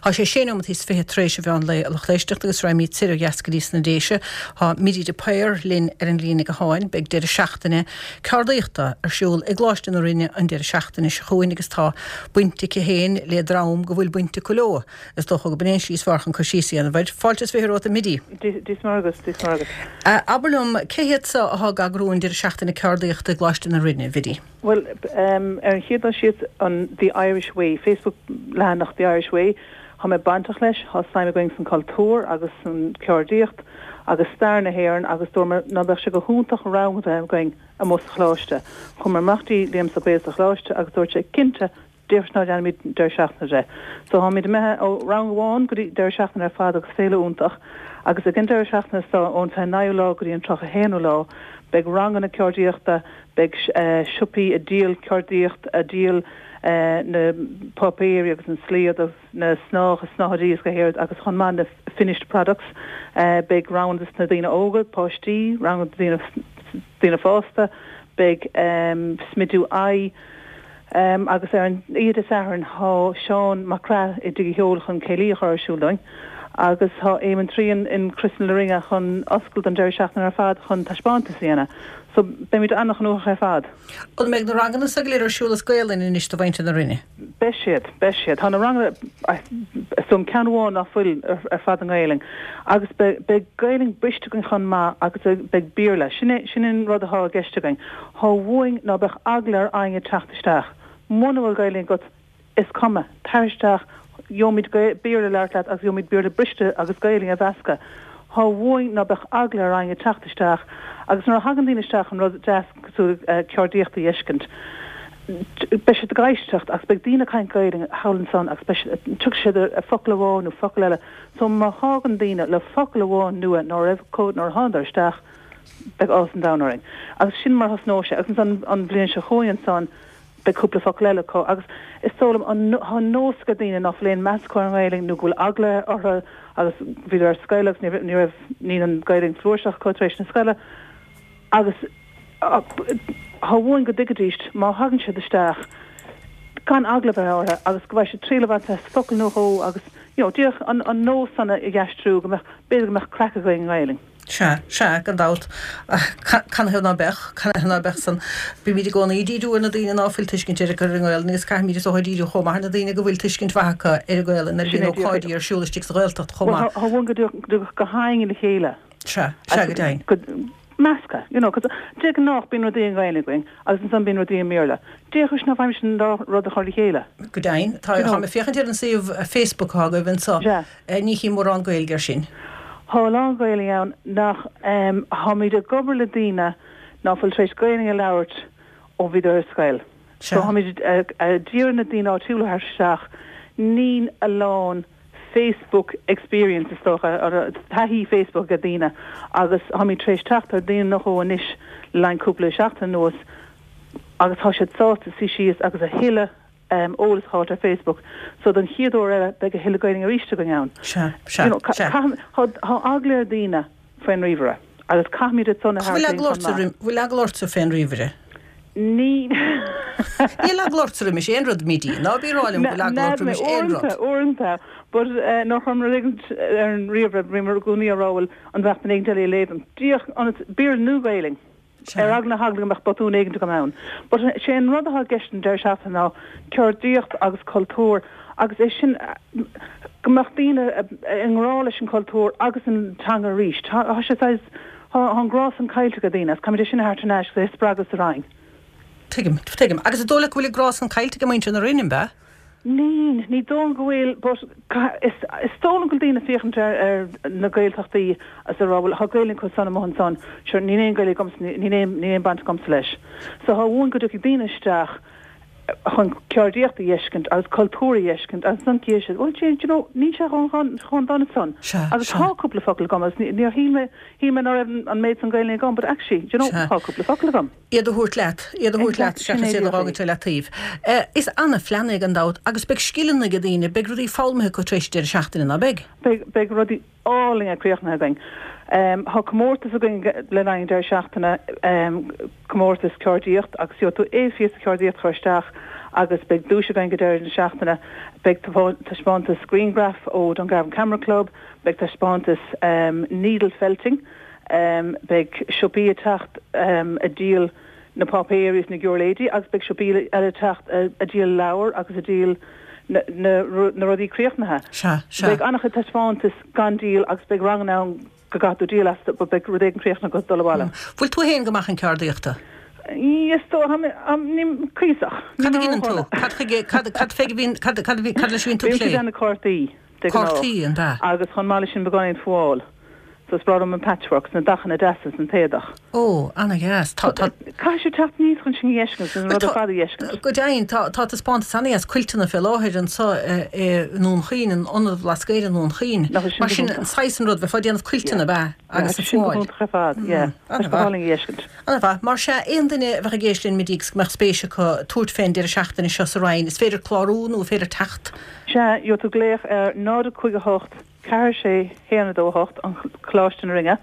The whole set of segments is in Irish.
Tá sé sé nóimeataí is 20 tar éis an mheán lae a lucht éisteachta agus raghaimid soir ó dheas go dtí sna Déise. Tá Biddy de Paor linn ar an líne gutháin. Beidh deireadh seachtaine ceardaíochta ar siúl i gColáiste na Rinne an deireadh seachtaine seo chugainn agus tá baint aici féin le dream go bhfuil baint acu leo. Is dócha gurb in é an slí is fearr chun cur síos a dhéanamh air. Fáilte is 20 romhat a Bhiddy. Dia is Muire dhuit, Dia is Muire dhuit. Abair liom, cé hiad seo atá ag eagrú an deireadh seachtaine ceardaíochta i gColáiste na Rinne, a Bhiddy? Bhuel, ar an chéad dul síos, an The Irish Way, Facebook leathanach The Irish Way, tá mé bainteach leis, tá suim againn san cultúr agus san ceardaíocht agus stair na hÉireann agus dúramar ná beadh sé go hiontach rang a bheith againn amuigh sa choláiste. Chuamar amach dtí Liam Mac Béil sa choláiste agus dúirt sé cinnte Déarfas ná déanfaimid deireadh seachtaine de. So táimid imithe ó rang amháin go dtí deireadh seachtaine ar fad agus féile iontach. Agus ag an deireadh seachtaine so ón 29ú lá go dtí an 31ú lá beidh ranganna ceardaíochta, beidh siopaí ag díol ceardaíocht, ag díol na páipéirí agus an slaod agus na snáth, snáthaidí is go héard agus chomh maith na finished products. Beidh ranganna dos na daoine óga, páistí, ranganna do daoine daoine fásta, beidh smidiú aghaidh, Agus ar an oíche Dé Sathairn tá Seán Mac Craith i dTigh an Cheoil chun céilí a chur ar siúl dúinn agus tá Éamonn Trian in Crios na Rinne chun oscailt don deireadh seachtaine ar fad chun taispeántas a dhéanamh. So beimid an-ghnóthach ar fad. An mbeidh na ranganna so go léir ar siúl as Gaolainn anois do mhuintir na Rinne? Beidh siad, beidh siad. Tá na ranganna, is dóigh liom ceann amháin ná fuil ar fad i nGaelainn. Agus beidh, beidh Gaelainn briste againn chomh maith agus beidh Béarla. Sin é, sin an rud atá i gceist againn. Thá uainn ná beadh eagla ar éinne teacht isteach. Muna bhfuil Gaelainn agat, is cuma, tar isteach, gheobhaimid Béarla le labhairt leat agus gheobhaimid Béarla briste agus Gaelainn a mheascadh. Thá uainn ná beadh eagla ar éinne teacht isteach agus nuair a thagann daoine isteach an rud deas cosúil le ceardaíocht a dh'fheiscint, beidh siad ag éisteacht agus beidh daoine ag caint Gaelainn thall ansan agus beidh siad, tiocfaidh siad ar focal amháin nó focal eile. So má thagann daoine le focal amháin nua ná raibh acu nuair a thánadar isteach, beidh áthas an domhain orainn. Agus sin mar a thosnóidh sé. Agus ansan an bhliain seo chugainn ansan beidh cúpla focal eile acu. Agus is dóigh liom an, tá an nós ag daoine ná fuil aon meas acu ar an nGaelainn nó go bhfuil eagla orthu agus bhíodar ar scoil agus ní raibh, ní raibh, níl an Ghaelainn flúirseach acu tar éis na scoile. Agus tá uainn go dtuigfidís má thagann siad isteach gan eagla a bheith orthu agus go bhfaighidh siad triail a bhaint as focal nó dhó agus you know díreach an, an nós san a dh'aistriú go mbeadh, b'fhéidir go mbeadh craic againn i nGaelainn. Sea, sea, gan dabht. Canathaobh ná beadh? Canathaobh ná beadh san? Bímid i gcónaí ag díriú ar na daoine ná fuil tuiscint ar an nGaelainn agus caithfimid is dócha díriú chomh maith ar na daoine go bhfuil tuiscint mhaith acu ar an nGaelainn nuair a bhíonn ócáidí ar siúl istigh sa Ghaeltacht chomh maith. Bhuel, thá uainn go dtiocfadh gach éinne le chéile. Sea, sea, go deimhin. Measctha, you know, 'cause de ghnáth bíonn rudaí i nGaelainn againn agus ansan bíonn rudaí i mBéarla. D'fhéadfadh ná bhfaighimid an dá rud a chur le chéile. Go deimhin. Tá, táim ag féachaint ar an suíomh Facebook atá agaibh anseo. Sea. Ní chím mórán Gaeilge air sin. Thá a lán Gaelainn ann nach Tháimid ag obair le daoine ná fuil tar éis Gaelainn a labhairt ó bhíodar ar scoil. So tháimid ag iarraidh na daoine áitiúla a thabhairt isteach. Níl a lán Facebook experience is dócha, taithí Facebook ag daoine agus tháimid tar éis teacht ar daoine nó dhó anois le linn cúpla seachtain anuas agus tá siad sásta suí síos agus a thuilleadh eolas a fháilt ar Facebook. So don chéad uair eile beidh a thuilleadh Gaelainn arís againn ann. Sea, sea, sea. Tá eagla ar daoine faoin ríomhaire agus caithfimid iad san a thabhairt linn chomh maith. Bhfuil eagla ortsa fén ríomhaire? Ní. Níl eagla ortsa roimis aon rud, Biddy. Ná bí ag rá liom go bhfuil eagla ort roimis aon rud. Uaireanta, uaireanta. But nuair a chuirim rud éigin ar an ríomhaire bím i gcónaí ag rá bhuel an mbeadh duine éigin eile ag léamh dom. Díreach ionas, Béarla nó Gaelainn. Ar eagla na heagla go mbeadh botún éigin agam ann. But sé an rud atá i gceist an deireadh seachtaine ná ceardaíocht agus cultúr agus é sin go mbeadh daoine i ngrá leis an cultúr agus an teanga arís. Tá sé saghas, tá an grá san caillte ag daoine agus caithfimid é sin a thabhairt thar n-ais agus é a spreagadh sa Rinn. Tuigim, tuigim. Agus an dóigh leat go bhfuil an grá san caillte ag muintir na Rinne, an ea? Ní, ní dóigh liom go bhfuil, but is, is dóigh liom go bhfuil daoine ag féachaint ar, ar na Gaeltachtaí agus ag rá bhuel tá Gaelainn acu san amuigh ansan, sure níl aon Gaeilge agamsa, níl aon, níl aon baint agamsa leis. So thá uainn go dtiocfaidh daoine isteach chun ceardaíocht a dh'fheiscint agus cultúr a dh'fheiscint agus ansan cífidh siad bhuel gee, do you know, níl sé chomh, chomh dona san. Sea, Agus sea. tá cúpla focal agam agus ní, níor shíl mé, shíl mé ná raibh an méid san Gaelainne agam but actually, do you know, Sea. tá cúpla focal agam. iad a thabhairt leat, iad a thabhairt leat seachas iad a dh'fhágaint ar leataobh. Is ana-phlean é gan dabht agus beidh scileanna ag daoine, beidh rudaí foghlamtha acu tar éis deireadh seachtaine, ná beidh? Beidh, beidh rudaí álainne críochnaithe againn. Tá comórtas againn le linn an deireadh seachtaine, comórtas ceardaíocht agus gheobhaidh tú aon phíosa ceardaíocht a chur isteach agus beidh duais againn go deireadh na seachtaine. Beidh taispeántas grianghraf ó Dungarvan Camera Club, beidh taispeántas needle felting, beidh siopaí ag teacht ag díol na páipéirí is na giúirléidí agus beidh siopaí eile ag teacht ag díol leabhar agus ag díol na rudaí críochnaithe. Sea, sea. Beidh an-chuid taispeántas gan díol agus beidh ranganna ann go gcaithfidh tú díol astu but beidh rud éigin críochnaithe agat dul abhaile. Bhfuil tú féin go maith chun ceardaíochta? Is dócha, ní, cuíosach. Cad a dheineann tú? Cad chuige, cad, cad fé a bhíonn, cad, cad a bhí, cad leis a bhíonn tú ag plé? Bímse ag déanamh cártaí. de ghnáth. Cártaí, an ea? Agus chomh maith leis sin beagáinín fuáil. So is breá liom an patchwork, 's na dathanna deasa san t-éadach. Ó, ana-dheas. Tá, tá. Caithfidh sibh teacht aníos chun sin a dh'fheiscint, sin an rud ar fad a dh'fheiscint. Go deimhin, tá, tá taispeántas ana-dheas cuilteanna fé láthair anso i nDún Chaoin, in Ionad an Bhlascaoid i nDún Chaoin. Nach bhfuil sin Mar sin, an saghas an rud, bheifeá ag déanamh cuilteanna, ab ea? Agus an fuáil. Tá sin go hiontach ar fad, yeah. Tá sé go hálainn a dh'fheiscint. Ana-mhaith. Mar sea, aon duine a bheadh ag éisteacht linn Midí agus go mbeadh spéis acu tabhairt fén deireadh seachtaine seo sa Rinn, is féidir clárú nó is féidir teacht? Sea, gheobhaidh tú glaoch ar 0 5 8 4 6 1 2 8, an Coláiste na Rinne,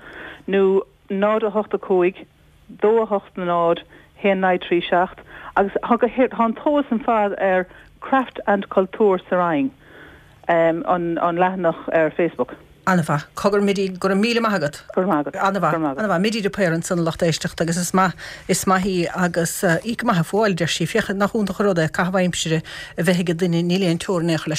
nó 0 8 5 2 8 0 1 0 3 7 agus tá go tá an t-eolas ar fad ar Craft and Cultúr sa Rinn, an an leathanach ar Facebook. Ana-mhaith. Cogar Midí, go raibh míle maith agat. Go raibh maith agat. Ana-mhaith. Go raibh maith agat. Ana-mhaith. Midí de Paor ansan a lucht éisteachta agus is maith, is maith í agus í go maith ag fuáil, a deir sí. Féach, nach iontach an rud é caitheamh aimsire a bheith ag duine, níl aon teorainn aon chor leis.